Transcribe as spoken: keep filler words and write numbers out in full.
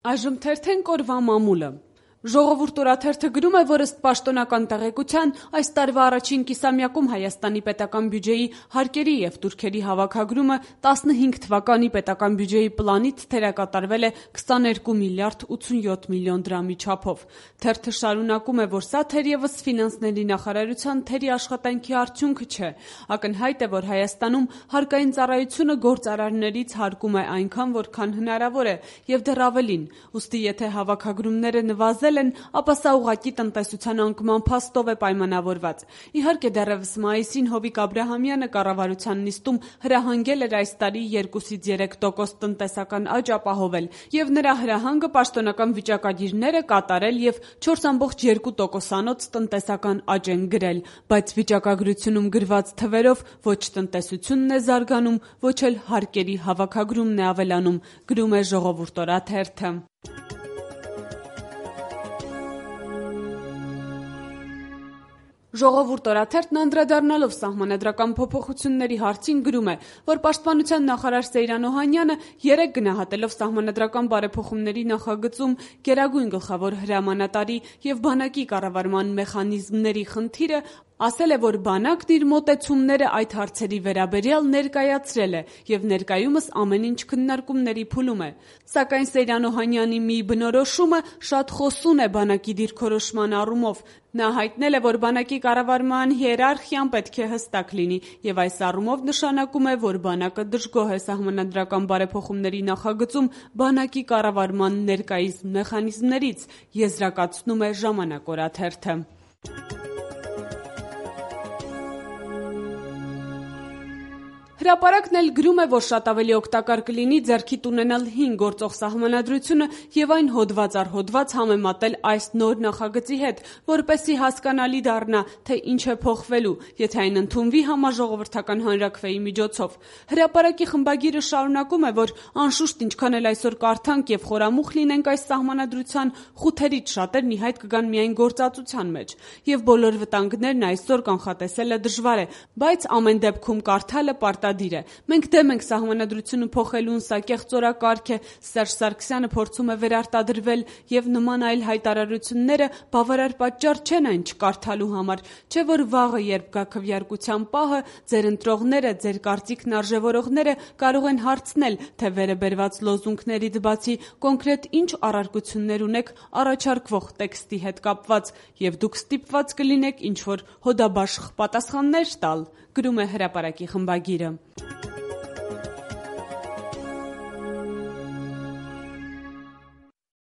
Այժմ թերթենք օրվա մամուլը։ Ժողովուրդ օրաթերթը գրում է, որ ըստ պաշտոնական տեղեկության այս տարվա առաջին կիսամյակում Հայաստանի պետական բյուջեի հարկերի և տուրքերի հավաքագրումը տասնհինգ թվականի պետական բյուջեի պլանից թերակատարվել է քսաներկու միլիարդ ութսունյոթ միլիոն դրամի չափով։ Թերթը շարունակում է, որ սա թերևս ֆինանսների նախարարության թերի աշխատանքի արդյունքը չէ։ Ակնհայտ է, որ Հայաստանում հարկային ծառայությունը գործարարներից հարկում է այնքան, որքան հնարավոր է, և դեռ ավելին։ Ուստի եթե հավաքագրումները նվազել են, ապա սա ուղղակի տնտեսության անկման փաստով է պայմանավորված։ Իհարկե, դեռևս մայիսին Հովիկ Աբրահամյանը կառավարության նիստում հրահանգել էր այս տարի երկուսից երեք տոկոս տնտեսական աճ ապահովել, և նրա հրահանգը պաշտոնական վիճակագիրները կատարել և չորս ամբողջ երկու տոկոսանոց տնտեսական աճ են գրել, բայց վիճակագրությունում գրված թվերով ոչ տնտեսությունն է զարգանում, ոչ էլ հարկերի հավաքագրումն է ավելանում, գրում է Ժողովուրդ օրաթերթը։ Ժողովուրդ օրաթերթն անդրադառնալով սահմանադրական փոփոխությունների հարցին գրում է, որ պաշտպանության նախարար Սեյրան Օհանյանը երեկ գնահատելով սահմանադրական բարեփոխումների նախագծում գերագույն գլխավոր հրամանատարի և բանակի կառավարման մեխանիզմների խնդիրը, ասել է, որ բանակն իր մոտեցումները այդ հարցերի վերաբերյալ ներկայացրել է և ներկայումս ամեն ինչ քննարկումների փուլում է։ Սակայն Սեյրան Օհանյանի մի բնորոշումը շատ խոսուն է բանակի դիրքորոշման առումով։ Նա հայտնել է, որ բանակի կառավարման հիերարխիան պետք է հստակ լինի, և այս առումով նշանակում է, որ բանակը դժգոհ է սահմանադրական բարեփոխումների նախագծում բանակի կառավարման ներկայիս մեխանիզմներից, եզրակացնում է Ժամանակ օրաթերթը։ Հրապարակն էլ գրում է, որ շատ ավելի օգտակար կլինի ձեռքիդ ունենալ հին գործող սահմանադրությունը և այն հոդված առ հոդված համեմատել այս նոր նախագծի հետ, որպեսզի հասկանալի դառնա, թե ինչ է փոխվելու, եթե այն ընդունվի համաժողովրդական հանրաքվեի միջոցով։ Հրապարակի խմբագիրը շարունակում է, որ անշուշտ ինչքան էլ այսօր կարդանք և խորամուխ լինենք այս սահմանադրության, խութերից շատերն ի հայտ կգան միայն գործածության մեջ, և բոլոր վտանգներն այսօր կանխատեսելը դժվար է, բայց ամեն դեպքում կարդալը պարտադիր է։ Մենք դեմ ենք սահմանադրությունը փոխելուն, սա կեղծորակարգ է, Սերժ Սարգսյանը փորձում է վերարտադրվել, և նման այլ հայտարարությունները բավարար պատճառ չեն այն չկարդալու համար, չէ՞ որ վաղը, երբ գա քվեարկության պահը, ձեր ընտրողները, ձեր կարծիքն արժևորողները կարող են հարցնել, թե վերը բերված լոզունգներից բացի կոնկրետ ինչ առարկություններ ունեք առաջարկվող տեքստի հետ կապված, և դուք ստիպված կլինեք ինչ-որ հոդաբաշխ պատասխաններ տալ, գրում է Հրապարակի խմբագիրը։